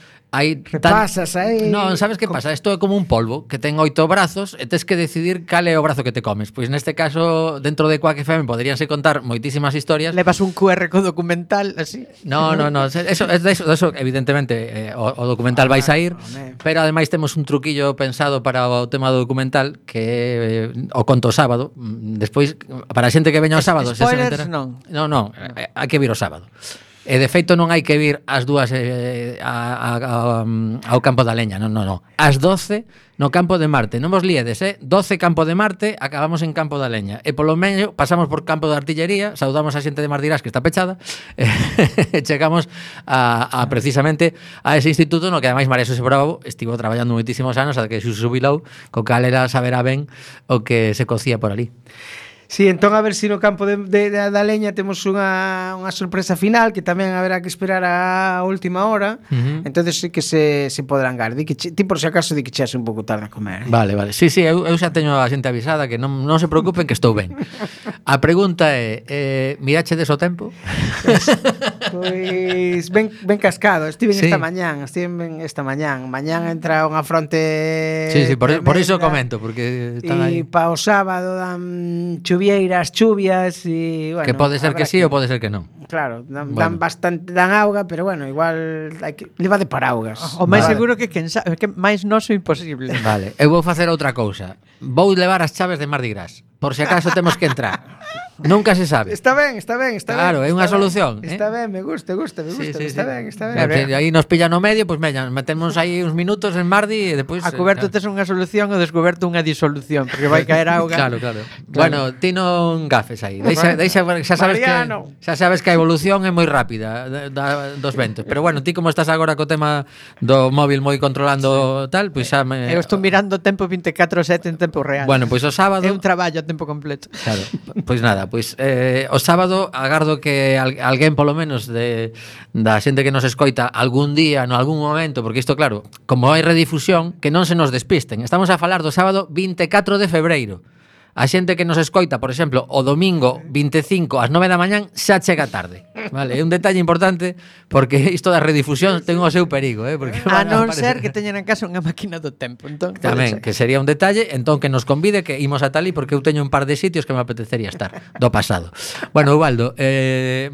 Pasas aí. Non, sabes que pasa? Isto é como un polvo que ten 8 brazos e tes que decidir cal é o brazo que te comes. Pois neste caso, dentro de Quack FM poderíanse contar moitísimas historias. Levas un QR co documental así. No, eso evidentemente o documental vai sair, pero ademais temos un truquillo pensado para o tema do documental, que o conto sábado. Despois, para a xente que veña o sábado, spoilers, non. Non, hai que vir o sábado. E de feito non hai que vir ás 2 ao campo da leña, non. Ás 12 no campo de Marte. Non vos liedes, 12 campo de Marte, acabamos en campo da leña. E polo medio pasamos por campo de artillería, saudamos a xente de Mardirás que está pechada, e chegamos a precisamente a ese instituto no que ademais María Xosé Bravo estivo traballando moitísimos anos ata que se xubilou, co cal era saberá ben o que se cocía por ali. Sí, entón a ver se no campo da leña temos unha sorpresa final, que tamén haberá que esperar a última hora. Entonces sí que se poderán gar. Ti por se acaso di que cheas un pouco tarde a comer. Vale. Sí, eu xa teño a xente avisada, que non se preocupen, que estou ben. A pregunta é, mirachedes o tempo? Pois ben cascado. Estive esta mañán. Mañán entra unha fronte. Sí, por iso comento, porque están aí. E pa o sábado dan chuvieiras, chuvias e bueno, que pode ser que sí ou pode ser que non. Claro, dan bastante, dan auga, pero bueno, igual hai que leva de paraugas. O máis seguro que máis noso imposible. Vale, eu vou facer outra cousa. Vou levar as chaves de Mardi Gras, por se acaso temos que entrar. Nunca se sabe. Está ben. Claro, é unha solución. Está ben, me gusta. Sí. Está ben. Claro, aí nos pillan no medio, pois metemos aí uns minutos en Mardi e depois a coberto tes unha solución, o descoberto unha disolución, porque vai caer auga. Claro. Bueno, ti non gafes aí. Deixa, xa sabes que a evolución é moi rápida dos ventos. Pero bueno, ti como estás agora co tema do móvil moi controlando tal, pois xa me... Eu estou mirando o tempo 24/7 en tempo real. Bueno, pois o sábado é un traballo a tempo completo. Claro. Pois nada, o sábado agardo que alguén polo menos da xente que nos escoita algún día, no algún momento, porque isto claro, como hai redifusión, que non se nos despisten. Estamos a falar do sábado 24 de febreiro. a xente que nos escoita, por exemplo, o domingo 25 ás 9 da mañán xa chega tarde, vale? É un detalle importante porque isto da redifusión ten o seu perigo, porque A van non aparecer- ser que teñan en casa unha máquina do tempo, entón. pode Tamén, ser. que sería un detalle, entón que nos convide que imos a Talí porque eu teño un par de sitios que me apetecería estar do pasado. Bueno, Ubaldo,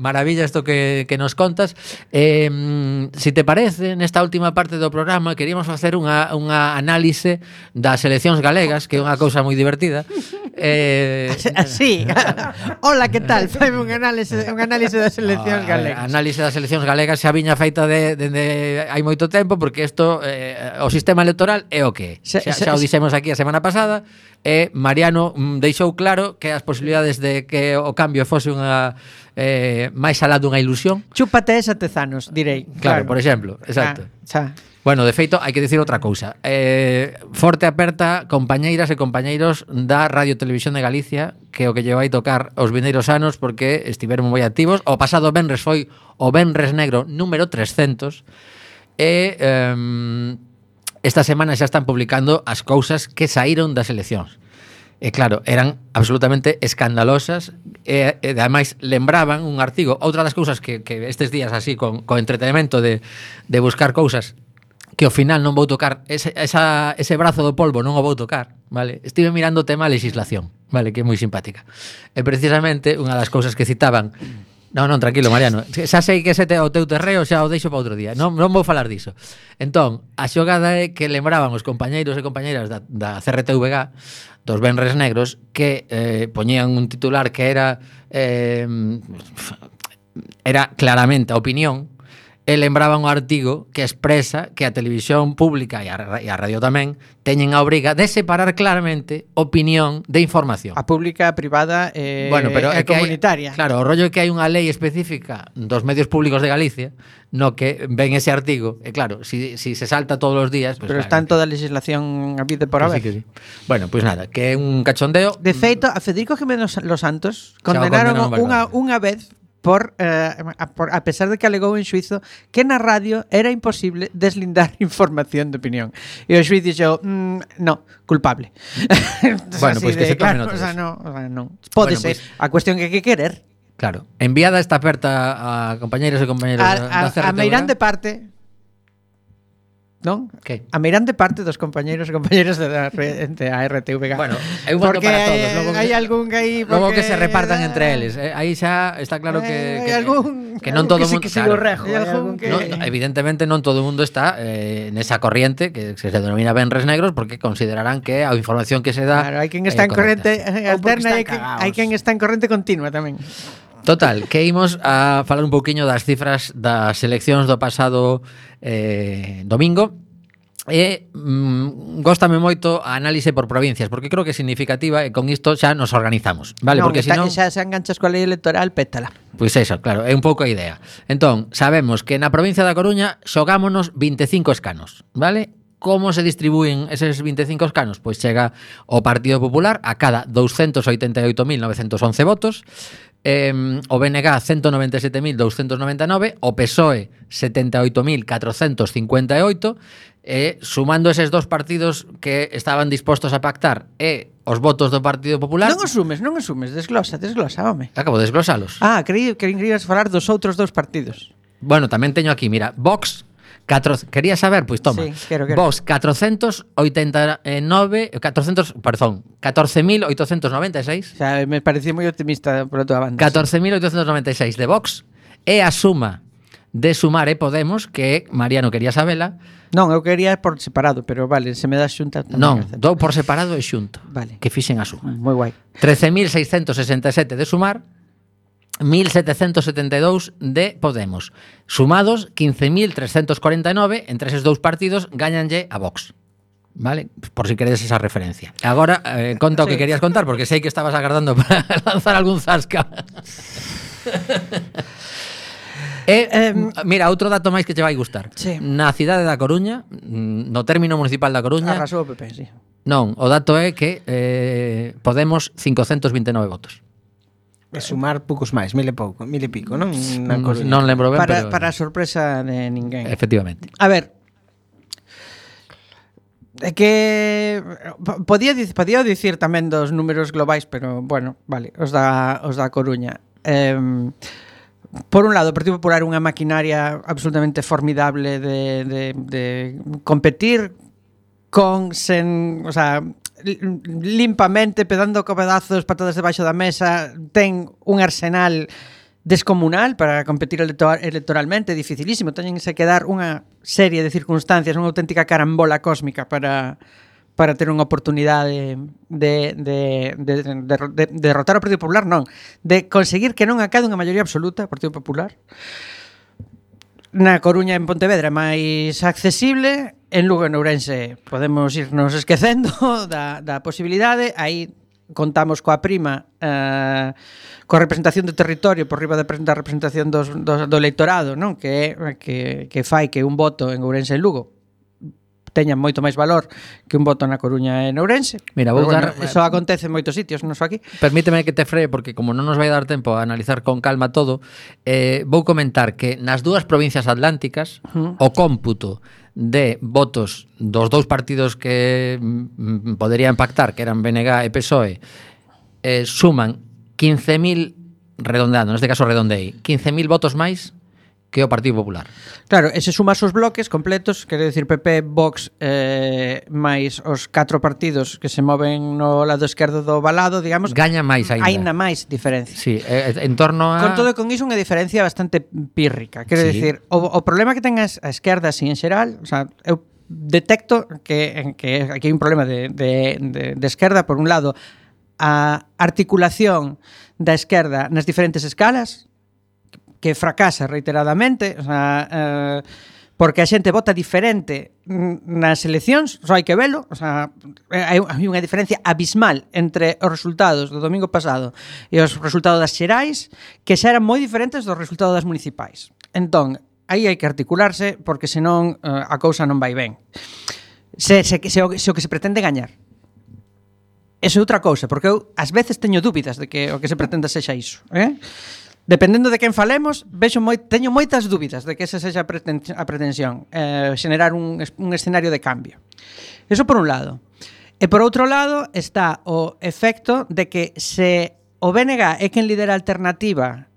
maravilla isto que nos contas. Si te parece, nesta última parte do programa queríamos facer unha análise das seleccións galegas, que é unha cousa moi divertida. Así. Hola, que tal? Faime un análise das seleccións galegas. Análise das seleccións galegas xa viña feita de hai moito tempo porque isto o sistema electoral é o que é. Xa o dixemos aquí a semana pasada e Mariano deixou claro que as posibilidades de que o cambio fose unha máis alá dunha ilusión. Chúpate esa tezanos, direi. Claro, por exemplo, exacto. Xa. Bueno, de feito, hai que dicir outra cousa. Forte aperta, compañeiras e compañeiros da Radio Televisión de Galicia, que o que lle vai tocar os vindeiros anos porque estiveron moi activos. O pasado venres foi o Venres Negro número 300 e esta semana xa están publicando as cousas que saíron das eleccións. E claro, eran absolutamente escandalosas e ademais lembraban un artigo. Outra das cousas que estes días así con entretenimento de buscar cousas que ao final non vou tocar ese brazo do polvo non o vou tocar, vale? Estive mirando o tema legislación, vale, que é moi simpática. E precisamente unha das cousas que citaban. Non, tranquilo, Mariano. Xa sei que ese o teu terreo xa o deixo para outro día. Non vou falar diso. Entón, a xogada é que lembraban os compañeiros e compañeiras da CRTVG dos Venres Negros que poñían un titular que era claramente a opinión e lembraban o artigo que expresa que a televisión pública e a radio tamén teñen a obriga de separar claramente opinión de información. A pública, a privada pero a comunitaria. Claro, o rollo é que hai unha lei específica dos medios públicos de Galicia no que ven ese artigo, e claro, si se salta todos os días, pues, pero claro, está en toda a legislación a vida por haber. Sí. Bueno, pues nada, que é un cachondeo. De feito, a Federico Jiménez Los Santos condenaron condenaron unha vez a pesar de que alegou en xuizo que na radio era imposible deslindar información de opinión. E o xuiz dixo, no, culpable. Bueno, pois que se tomen notas. Non. Pode ser. A cuestión que hai que querer. Claro. Enviada esta aperta a compañeros e compañeras da CRTVG. A meirán de parte, non? Que? A meirán de parte dos compañeiros e compañeras da RTVG. Bueno, eu voto porque para todos. Logo hai algún que aí logo que se repartan entre eles. Aí xa está claro que non todo o mundo, claro, evidentemente non todo o mundo está nesa corriente que se denomina Venres Negros porque considerarán que a información que se dá. Claro, hai quen está en corrente alterna e hai quen está en corrente continua tamén. Total, que imos a falar un pouquiño das cifras das eleccións do pasado domingo e góstame moito a análise por provincias porque creo que é significativa e con isto xa nos organizamos, vale? Non, porque senón xa se enganchas coa lei electoral, pétala. Pois eso, claro, é un pouco a idea. Entón, sabemos que na provincia da Coruña xogámonos 25 escanos, vale? Como se distribúen eses 25 escanos? Pois chega o Partido Popular a cada 288.911 votos, o BNG 197.299, o PSOE 78.458, sumando eses dos partidos que estaban dispostos a pactar e os votos do Partido Popular. Non asumes, desglosa, home. Acabo de desglosalos. Creí que irías falar dos outros dous partidos. Bueno, tamén teño aquí, mira, Vox, quería saber, pois toma. Sí, quero. Vox 14.896. O sea, me parecía moi optimista pola tua banda. 14.896 de Vox e a suma de Sumar e Podemos, que Mariano quería sabela. Non, eu quería por separado, pero vale, se me dá xunta. Non, dou por separado e xunto. Vale. Que fixen a suma. Moi guai. 13.667 de Sumar, 1.772 de Podemos. Sumados, 15.349, entre eses dous partidos, gañanlle a Vox. Vale? Por si queredes esa referencia. Agora, conta o que querías contar, porque sei que estabas agardando para lanzar algún zasca. Mira, outro dato máis que che vai gustar. Sí. Na cidade da Coruña, no término municipal da Coruña, arrasou o PP, sí. Non, o dato é que Podemos 529 votos. E sumar poucos máis, mil e pico, non? Non lembro ben, para a sorpresa de ninguén. Efectivamente. A ver, É que podía dicir tamén dos números globais, pero bueno, vale, os da Coruña. Por un lado, o Partido Popular é unha maquinaria absolutamente formidable de competir o sea, limpamente, pedando cobedazos, patadas debaixo da mesa, ten un arsenal descomunal para competir electoralmente, dificilísimo, teñense que dar unha serie de circunstancias, unha auténtica carambola cósmica para ter unha oportunidade de derrotar o Partido Popular, non, de conseguir que non acade unha maioría absoluta o Partido Popular. Na Coruña e en Pontevedra é máis accesible, en Lugo e en Ourense podemos irnos esquecendo da posibilidade, aí contamos coa prima coa representación do territorio por riba da representación do electorado, non? Que fai que un voto en Ourense e en Lugo teña moito máis valor que un voto na Coruña e en Ourense. Mira, vou dar... Eso acontece en moitos sitios, non só aquí. Permíteme que te free, porque como non nos vai dar tempo a analizar con calma todo, vou comentar que nas dúas provincias atlánticas o cómputo de votos dos dous partidos que poderían pactar, que eran BNG e PSOE, suman 15.000, redondeando, neste caso redondei, 15.000 votos máis que o Partido Popular. Claro, e se sumas os bloques completos, quero dicir PP, Vox, máis os 4 partidos que se moven no lado esquerdo do valado, digamos, gaña máis aínda. Aínda máis diferencia. Sí, en torno a... Con todo e con iso unha diferencia bastante pírrica. Quero dicir, o problema que ten a esquerda así en xeral, o sea, eu detecto que aquí hai un problema de esquerda, por un lado, a articulación da esquerda nas diferentes escalas, que fracasa reiteradamente, o sea, porque a xente vota diferente nas eleccións, só hai que velo, o sea, hai unha diferencia abismal entre os resultados do domingo pasado e os resultados das xerais, que xa eran moi diferentes dos resultados das municipais. Entón, aí hai que articularse, porque senón a cousa non vai ben. Se o que se pretende gañar. Eso é outra cousa, porque eu ás veces teño dúbidas de que o que se pretenda sexa iso, Dependendo de quen falemos, teño moitas dúbidas de que esa sexa a pretensión, xenerar un escenario de cambio. Eso por un lado. E por outro lado está o efecto de que se o BNG é quen lidera a alternativa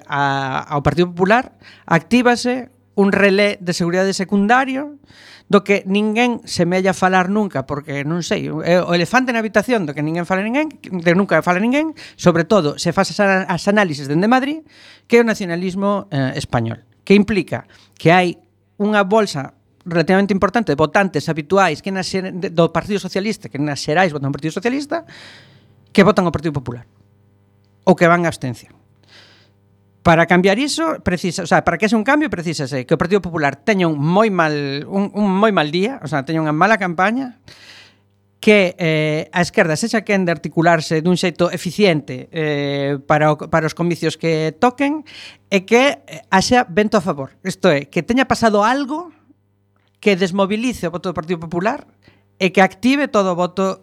ao Partido Popular, actívase un relé de seguridade secundario do que ninguén semella falar nunca, porque non sei, o elefante na habitación do que ninguén fala ninguén, de nunca fala ninguén, sobre todo se faz as análisis dende Madrid, que é o nacionalismo español, que implica que hai unha bolsa relativamente importante de votantes habituais que do Partido Socialista, que nas xerais votan o Partido Socialista, que votan o Partido Popular ou que van a abstención. Para cambiar iso, para que ese un cambio, precisase que o Partido Popular teña un moi mal día, o sea, teña unha mala campaña, que a esquerda sexa quen de articularse dun xeito eficiente para os comicios que toquen, e que haxa vento a favor. Isto é, que teña pasado algo que desmovilice o voto do Partido Popular e que active todo o voto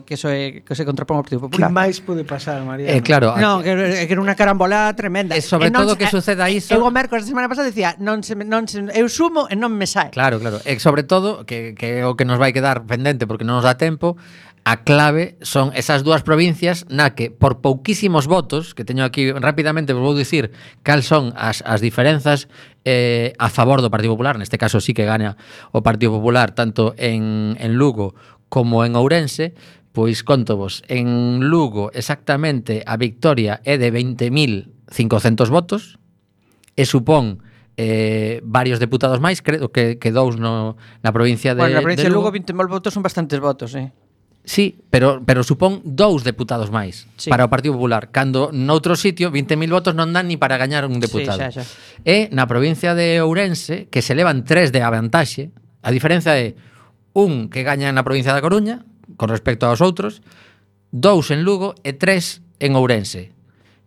que se contrapón ao Partido Popular. Que máis pode pasar, María? Claro. Non, que era unha carambola tremenda. E sobre todo que suceda iso... Eu o mércores da semana pasada dicía, eu sumo e non me sae. Claro. E sobre todo, que é o que nos vai quedar pendente porque non nos dá tempo, a clave son esas dúas provincias na que, por pouquísimos votos, que teño aquí rapidamente, vos vou dicir cal son as diferenzas a favor do Partido Popular. Neste caso sí que gana o Partido Popular tanto en Lugo como en Ourense. Pois conto vos, en Lugo exactamente a victoria é de 20.500 votos e supón varios deputados máis, creo que dous na provincia de Bueno, na provincia de Lugo 20.000 votos son bastantes votos, Sí, pero supón 2 deputados máis para o Partido Popular, cando noutro sitio 20.000 votos non dan ni para gañar un deputado. Sí, xa. E na provincia de Ourense, que se levan 3 de avantaxe, a diferenza é un que gaña na provincia da Coruña con respecto aos outros, 2 en Lugo e 3 en Ourense.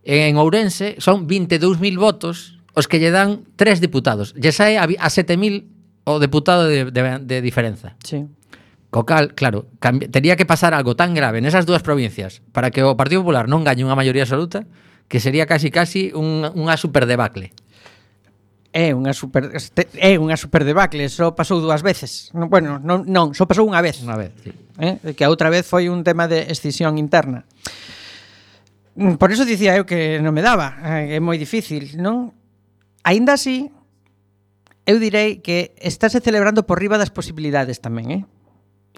En Ourense son 22.000 votos os que lle dan 3 deputados. Lle sae a 7.000 o deputado de diferenza. Sí. Co cal, claro, tería que pasar algo tan grave nesas dúas provincias para que o Partido Popular non gañe unha maioría absoluta, que sería casi unha super debacle. É unha super debacle, só pasou 2 veces. Bueno, non, só pasou unha vez. Unha vez, sí. Que a outra vez foi un tema de escisión interna. Por eso dicía eu que non me daba, é moi difícil, non? Aínda así, eu direi que estáse celebrando por riba das posibilidades tamén,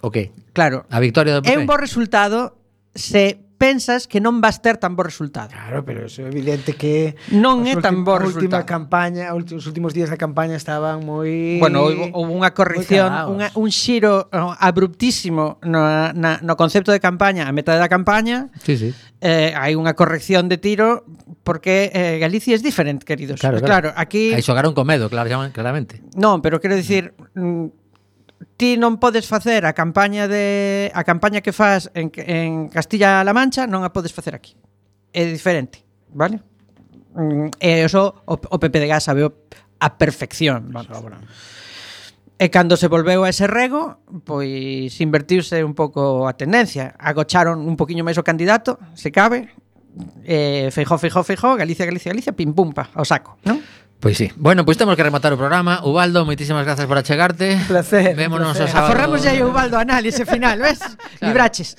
O que? Claro. A victoria do PP? É un bo resultado se pensas que non vas ter tan bo resultado. Claro, pero eso é evidente que Non é tan bo a última resultado. campaña, os últimos días da campaña estaban moi Bueno, houve unha corrección, un xiro abruptísimo no concepto de campaña, a metade da campaña. Sí, sí. Hai unha corrección de tiro porque Galicia é diferente, queridos. Claro, aquí aí xogaron con medo, claramente. Non, pero quero dicir, ti non podes facer a campaña que faz en Castilla-La Mancha, non a podes facer aquí. É diferente, vale? E iso o PPDG sabeu a perfección, vamos. E cando se volveu a ese rego, pois invertiuse un pouco a tendencia. Agocharon un poquinho máis o candidato, se cabe. Feijóo, Galicia, pim pum pa, ao saco, non? Pois sí. Bueno, pois temos que rematar o programa. Ubaldo, moitísimas grazas por achegarte. Un placer. Vémonos o sábado. Aforramos ya o Ubaldo análise final, ves? Claro. Libraches.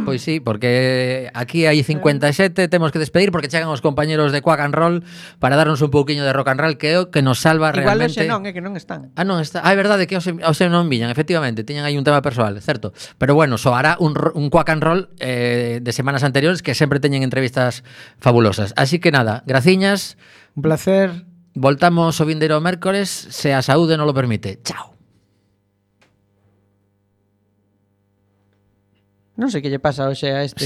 Pois sí, porque aquí hai 57, temos que despedir porque chegan os compañeros de Quack and Roll para darnos un pouquiño de rock and roll que é o que nos salva Igual realmente. Igual que non están. Non está. É verdade que hoxe non viñan, efectivamente, tiñan aí un tema persoal, certo? Pero bueno, soará un Quack and Roll de semanas anteriores que sempre teñen entrevistas fabulosas. Así que nada, graciñas. Un placer. Voltamos o vindeiro mércores, se a saúde non lo permite. Chao. Non sei que lle pasa hoxe a este